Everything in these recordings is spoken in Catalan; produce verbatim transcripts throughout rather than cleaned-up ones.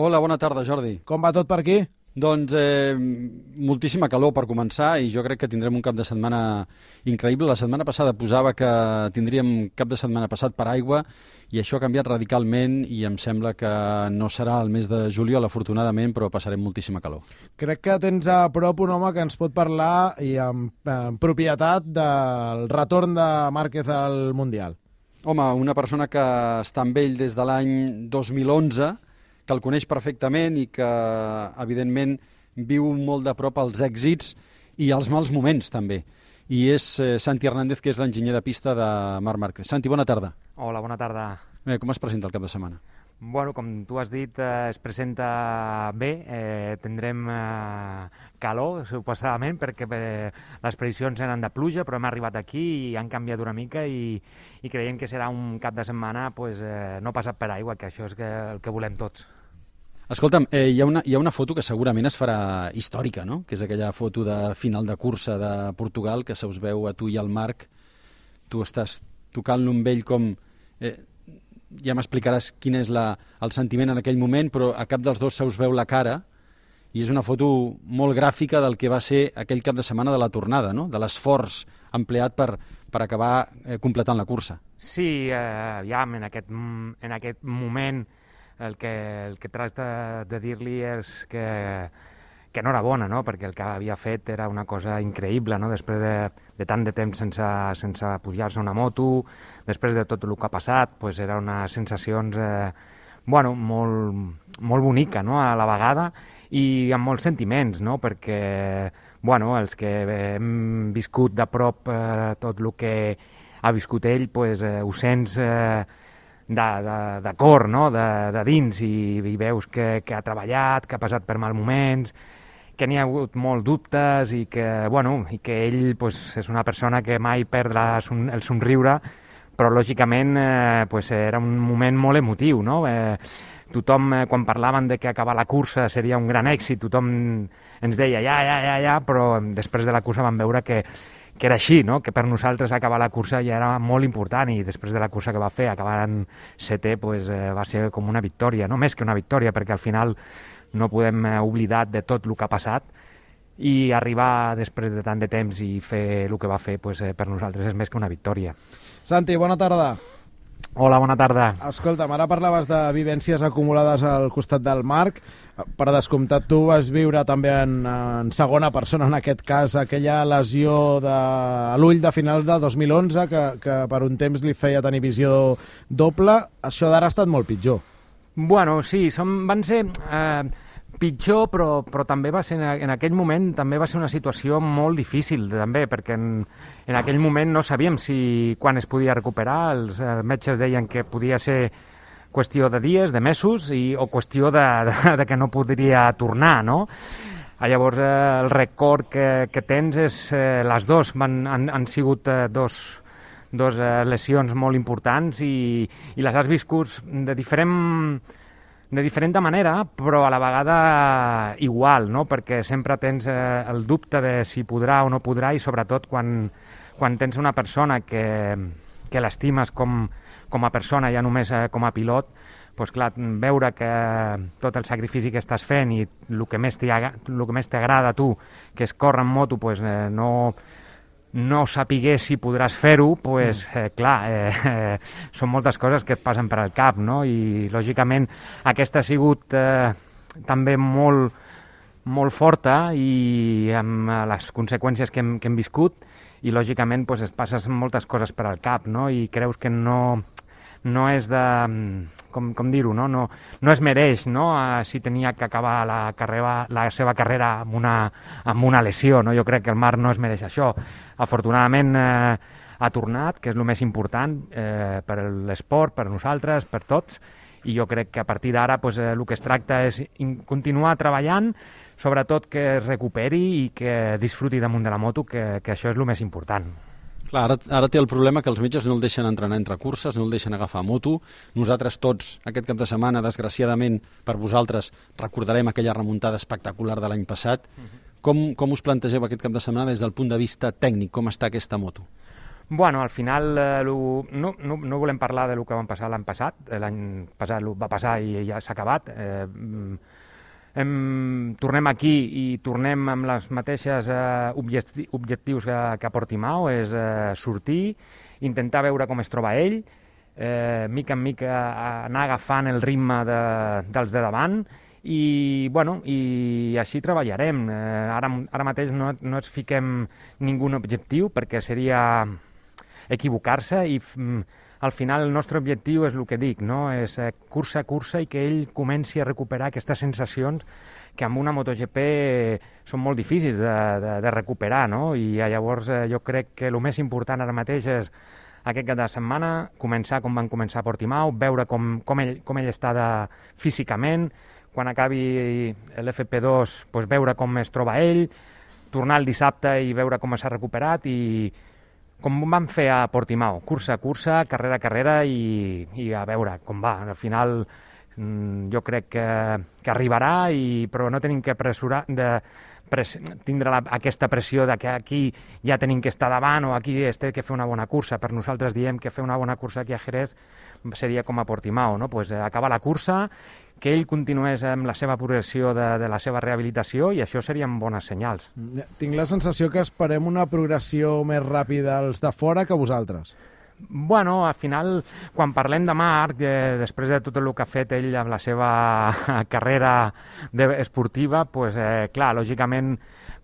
Hola, bona tarda, Jordi. Com va tot per aquí? Doncs eh, moltíssima calor per començar i jo crec que tindrem un cap de setmana increïble. La setmana passada posava que tindríem cap de setmana passat per aigua i això ha canviat radicalment i em sembla que no serà el mes de juliol, afortunadament, però passarem moltíssima calor. Crec que tens a prop un home que ens pot parlar i amb, amb propietat del retorn de Márquez al Mundial. Home, una persona que està amb ell des de l'any dos mil onze, que el coneix perfectament i que, evidentment, viu molt de prop els èxits i els mals moments, també. I és eh, Santi Hernández, que és l'enginyer de pista de Marc Márquez. Santi, bona tarda. Hola, bona tarda. Bé, com es presenta el cap de setmana? Bueno, com tu has dit, eh, es presenta bé. Eh, tindrem eh, calor, suposadament, perquè eh, les previsions eren de pluja, però hem arribat aquí i han canviat una mica i, i creiem que serà un cap de setmana pues, eh, no passat per aigua, que això és que, el que volem tots. Escolta'm, eh, hi, ha una, hi ha una foto que segurament es farà històrica, no? Que és aquella foto de final de cursa de Portugal, que se us veu a tu i al Marc. Tu estàs tocant-lo amb ell com... Eh, ja m'explicaràs quin és la, el sentiment en aquell moment, però a cap dels dos se us veu la cara i és una foto molt gràfica del que va ser aquell cap de setmana de la tornada, no? De l'esforç empleat per, per acabar eh, completant la cursa. Sí, eh, ja en aquest, en aquest moment el que, el que tracta de dir-li és que, que enhorabona, no? Perquè el que havia fet era una cosa increïble, no? Després de, de tant de temps sense, sense pujar-se a una moto, després de tot el que ha passat, pues era unes sensacions eh, bueno, molt, molt bonica, no? A la vegada i amb molts sentiments, no? Perquè bueno, els que hem viscut de prop eh, tot el que ha viscut ell, pues, eh, ho sents... Eh, de, de, de cor, no? de, de dins, i, i veus que, que ha treballat, que ha passat per mal moments, que n'hi ha hagut molts dubtes i que, bueno, i que ell pues, és una persona que mai perd la, el somriure, però lògicament eh, pues, era un moment molt emotiu, no? Eh, tothom, eh, quan parlaven de que acabar la cursa seria un gran èxit, tothom ens deia ja, ja, ja, ja, però després de la cursa vam veure que que era així, no? Que per nosaltres acabar la cursa ja era molt important i després de la cursa que va fer, acabar en setè, pues, eh, va ser com una victòria, no més que una victòria, perquè al final no podem eh, oblidar de tot el que ha passat i arribar després de tant de temps i fer el que va fer, pues, eh, per nosaltres és més que una victòria. Santi, bona tarda. Hola, bona tarda. Escolta'm, ara parlaves de vivències acumulades al costat del Marc. Per descomptat, tu vas viure també en, en segona persona, en aquest cas, aquella lesió de l'ull de finals de dos mil onze, que, que per un temps li feia tenir visió doble. Això d'ara ha estat molt pitjor. Bueno, sí, som, van ser... Eh, pitjor, però, però també va ser, en aquell moment també va ser una situació molt difícil, també, perquè en, en aquell moment no sabíem si quan es podia recuperar, els eh, metges deien que podia ser qüestió de dies, de mesos, i, o qüestió de, de, de que no podria tornar, no? Llavors, eh, el record que, que tens és, eh, les dos van, han, han sigut eh, dos, dos eh, lesions molt importants i, i les has viscut de diferent de diferent manera, però a la vegada igual, no? Perquè sempre tens eh, el dubte de si podrà o no podrà i sobretot quan, quan tens una persona que, que l'estimes com, com a persona, ja només eh, com a pilot, doncs clar, veure que tot el sacrifici que estàs fent i el que més t'agrada a tu, que és córrer en moto, doncs, eh, no... no sapigués si podràs fer-ho, pues, eh, clar, eh, eh, són moltes coses que et passen per al cap, no? I, lògicament, aquesta ha sigut eh, també molt, molt forta i amb les conseqüències que hem, que hem viscut i, lògicament, pues, es passes moltes coses per al cap, no? I creus que no... no és de... com, com dir-ho, no? No, no es mereix, no? Uh, si tenia que acabar la, carrera, la seva carrera amb una, amb una lesió, no? Jo crec que el Marc no es mereix això. Afortunadament eh, ha tornat, que és el més important eh, per l'esport, per nosaltres, per tots, i jo crec que a partir d'ara pues, eh, el que es tracta és continuar treballant, sobretot que es recuperi i que disfruti damunt de la moto, que, que això és el més important. Clar, ara, ara té el problema que els metges no el deixen entrenar entre curses, no el deixen agafar moto. Nosaltres tots, aquest cap de setmana, desgraciadament per vosaltres, recordarem aquella remuntada espectacular de l'any passat. Uh-huh. Com, com us plantegeu aquest cap de setmana des del punt de vista tècnic? Com està aquesta moto? Bueno, al final eh, lo, no, no, no volem parlar de lo que va passar l'any passat. L'any passat va passar i ja s'ha acabat. Eh, hem, tornem aquí i tornem amb les mateixes eh, objecti objectius que, que a Portimao, és eh, sortir, intentar veure com es troba ell, eh, mica en mica anar agafant el ritme de, dels de davant, i, bueno, i així treballarem. Eh, ara, ara mateix no, no ens fiquem ningú objectiu perquè seria equivocar-se i mm, al final el nostre objectiu és el que dic, no? És eh, cursa a cursa i que ell comenci a recuperar aquestes sensacions que amb una MotoGP eh, són molt difícils de, de, de recuperar, no? I eh, llavors eh, jo crec que el més important ara mateix és aquest cap de setmana començar com van començar a Portimao, veure com, com, ell, com ell està de, físicament, quan acabi l'F P dos pues, veure com es troba ell, tornar el dissabte i veure com s'ha recuperat i com vam fer a Portimao, cursa a cursa, carrera a carrera i, i a veure com va. Al final jo crec que, que arribarà, i, però no tenim que pressurar de pres, tindre la, aquesta pressió de que aquí ja tenim que estar davant o aquí es té que fer una bona cursa. Per nosaltres diem que fer una bona cursa aquí a Jerez seria com a Portimao, no? Pues, eh, acabar la cursa, que ell continués amb la seva progressió de, de la seva rehabilitació, i això serien bones senyals. Tinc la sensació que esperem una progressió més ràpida als de fora que vosaltres. Bueno, al final, quan parlem de Marc, eh, després de tot el que ha fet ell amb la seva carrera de, esportiva, pues, eh, clar, lògicament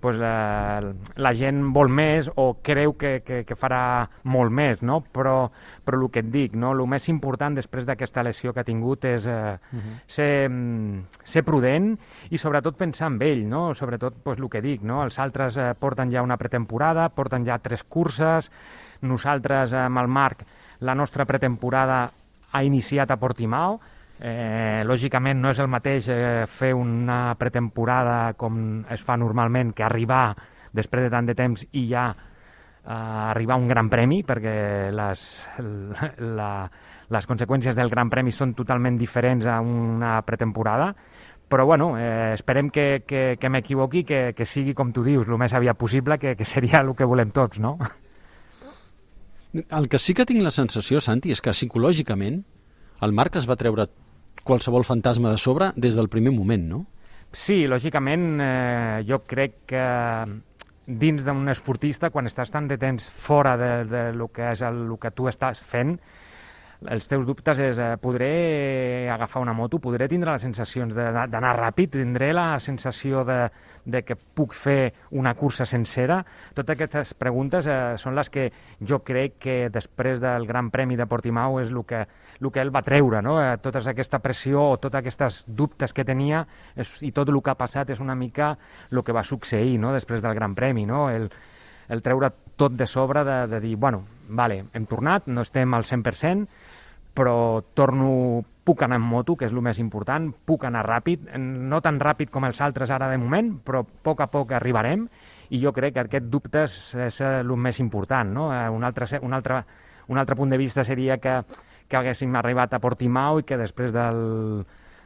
pues, eh, la gent vol més o creu que, que, que farà molt més, no? Però, però el que et dic, no? El més important després d'aquesta lesió que ha tingut és eh, uh-huh. ser, ser prudent i sobretot pensar en ell, no? Sobretot pues, el que dic, no? Els altres eh, porten ja una pretemporada, porten ja tres curses. Nosaltres, amb el Marc, la nostra pretemporada ha iniciat a Portimao. Eh, lògicament no és el mateix eh, fer una pretemporada com es fa normalment que arribar després de tant de temps i ja eh, arribar a un gran premi, perquè les, la, les conseqüències del gran premi són totalment diferents a una pretemporada. Però bueno, eh, esperem que, que, que m'equivoqui, que, que sigui com tu dius, el més aviat possible, que, que seria el que volem tots, no? El que sí que tinc la sensació, Santi, és que psicològicament el Marc es va treure qualsevol fantasma de sobre des del primer moment, no? Sí, lògicament, eh, jo crec que dins d'un esportista, quan estàs tant de temps fora de, de lo que és el, el que tu estàs fent, els teus dubtes és, eh, podré agafar una moto, podré tindre les sensacions d'anar ràpid, tindré la sensació de, de que puc fer una cursa sencera. Totes aquestes preguntes eh, són les que jo crec que després del Gran Premi de Portimao és el que, el que ell va treure, no? Eh, tota aquesta pressió o tots aquests dubtes que tenia és, i tot el que ha passat és una mica el que va succeir, no? Després del Gran Premi, no? El, el treure tot de sobre de, de dir, bueno, vale, hem tornat, no estem al cent per cent, però torno, puc anar en moto, que és el més important, puc anar ràpid, no tan ràpid com els altres ara de moment, però a poc a poc arribarem, i jo crec que aquest dubte és el més important, no? Un altre, un altre, un altre punt de vista seria que, que haguéssim arribat a Portimao i que després del,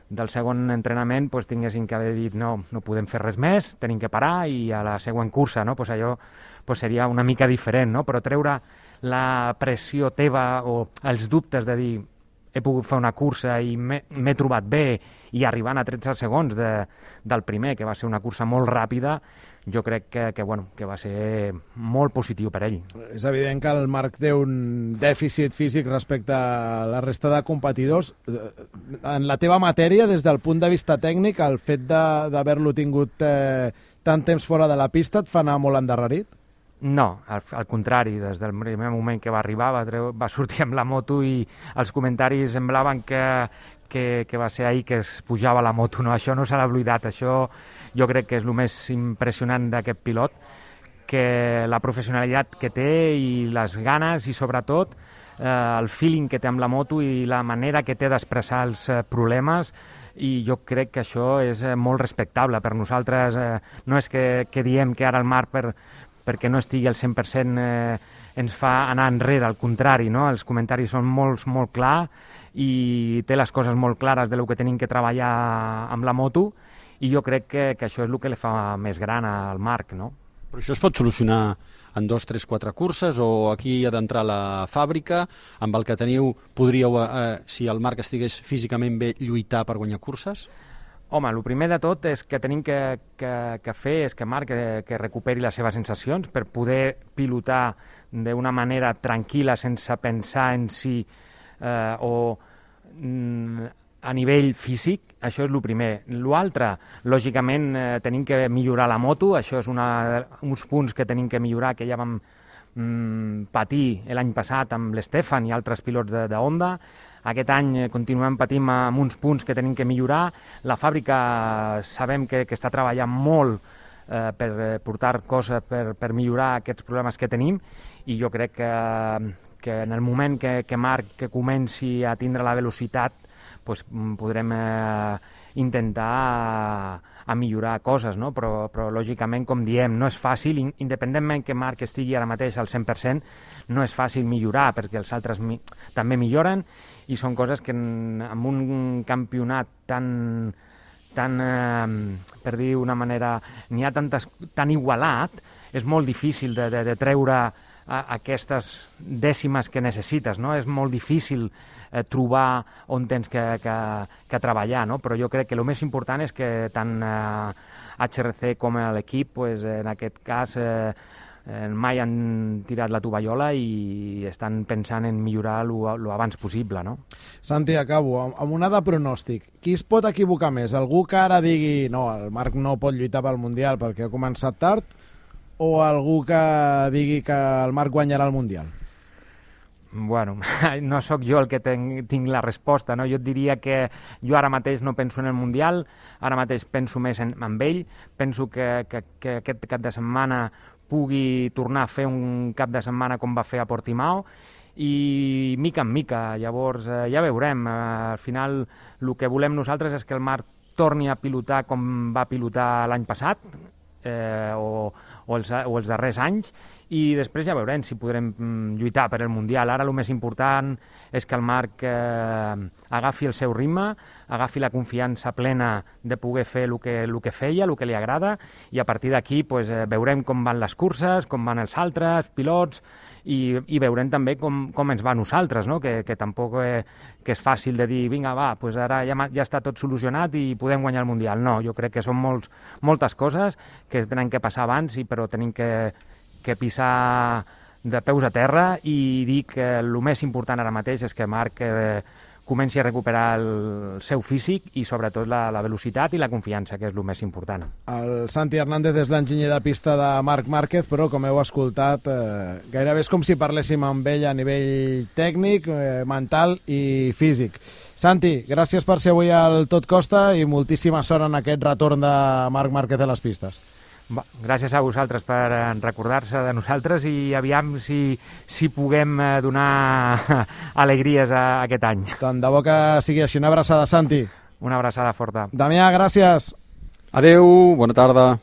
del segon entrenament pues, tinguéssim que haver dit no, no podem fer res més, tenim que parar i a la següent cursa, no? Pues allò pues, seria una mica diferent, no? Però treure la pressió teva o els dubtes de dir he pogut fer una cursa i m'he trobat bé i arribant a tretze segons de, del primer, que va ser una cursa molt ràpida, jo crec que, que, bueno, que va ser molt positiu per ell. És evident que el Marc té un dèficit físic respecte a la resta de competidors. En la teva matèria, des del punt de vista tècnic, el fet d'haver-lo tingut eh, tant temps fora de la pista et fa anar molt endarrerit? No, al, al contrari, des del primer moment que va arribar va, treu, va sortir amb la moto i els comentaris semblaven que, que, que va ser ahir que es pujava la moto, no? Això no s'ha oblidat, això jo crec que és el més impressionant d'aquest pilot, que la professionalitat que té i les ganes i sobretot eh, el feeling que té amb la moto i la manera que té d'expressar els eh, problemes, i jo crec que això és eh, molt respectable per nosaltres. Eh, no és que, que diem que ara el Marc per perquè no estigui al cent per cent eh, ens fa anar enrere, al contrari, no? Els comentaris són molt, molt clars i té les coses molt clares de lo que tenim que treballar amb la moto, i jo crec que, que això és el que li fa més gran al Marc, no? Però això es pot solucionar en dos, tres, quatre curses, o aquí ha d'entrar la fàbrica, amb el que teniu podríeu, eh, si el Marc estigués físicament bé, lluitar per guanyar curses? Home, el primer de tot és que tenim que, que, que fer és que Marc que, que recuperi les seves sensacions per poder pilotar d'una manera tranquil·la, sense pensar en si eh, o mm, a nivell físic. Això és el primer. L'altre, lògicament, eh, tenim que millorar la moto, això és una, uns punts que tenim que millorar, que ja vam mm, patir l'any passat amb l'Stefan i altres pilots de, de Honda. Aquest any continuem patint amb uns punts que tenim que millorar. La fàbrica sabem que, que està treballant molt eh, per portar coses per, per millorar aquests problemes que tenim, i jo crec que, que en el moment que, que Marc que comenci a tindre la velocitat, pues, podrem eh, intentar a, a millorar coses, no? Però, però lògicament, com diem, no és fàcil, independentment que Marc estigui ara mateix al cent per cent, no és fàcil millorar, perquè els altres mi també milloren, i són coses que en, en un campionat tan, tan eh, per dir d'una manera, n'hi ha tantes, tan igualat, és molt difícil de, de, de treure a, aquestes dècimes que necessites, no? És molt difícil eh, trobar on tens que, que, que treballar, no? Però jo crec que el més important és que tant eh, H R C com l'equip, pues, en aquest cas, eh, mai han tirat la tovallola i estan pensant en millorar lo abans possible, no? Santi, acabo amb una de pronòstic. Qui es pot equivocar més? Algú que ara digui no, el Marc no pot lluitar pel Mundial perquè ha començat tard, o algú que digui que el Marc guanyarà el Mundial? Bueno, no sóc jo el que tenc, tinc la resposta, no? Jo et diria que jo ara mateix no penso en el Mundial, ara mateix penso més en, en ell, penso que, que, que aquest cap de setmana pugui tornar a fer un cap de setmana com va fer a Portimao, i mica en mica, llavors eh, ja veurem. Eh, al final el que volem nosaltres és que el Marc torni a pilotar com va pilotar l'any passat, eh, o, o, els, o els darrers anys, i després ja veurem si podrem lluitar per el Mundial. Ara el més important és que el Marc eh, agafi el seu ritme, agafi la confiança plena de poder fer el que, el que feia, el que li agrada, i a partir d'aquí pues, eh, veurem com van les curses, com van els altres pilots, i, i veurem també com, com ens va a nosaltres, no? que, que tampoc eh, que és fàcil de dir, vinga, va, pues ara ja, ja està tot solucionat i podem guanyar el Mundial. No, jo crec que són molts, moltes coses que tenen que passar abans, i però tenim que que pisar de peus a terra i dir que el més important ara mateix és que Marc eh, comenci a recuperar el seu físic i sobretot la, la velocitat i la confiança, que és el més important. El Santi Hernández és l'enginyer de pista de Marc Márquez, però com heu escoltat, eh, gairebé és com si parléssim amb ell a nivell tècnic, eh, mental i físic. Santi, gràcies per ser avui al Tot Costa i moltíssima sort en aquest retorn de Marc Márquez a les pistes. Va, gràcies a vosaltres per recordar-se de nosaltres, i aviam si, si puguem donar alegries a aquest any. Tant de bo que sigui així. Una abraçada, Santi. Una abraçada forta. Damià, gràcies. Adeu, bona tarda.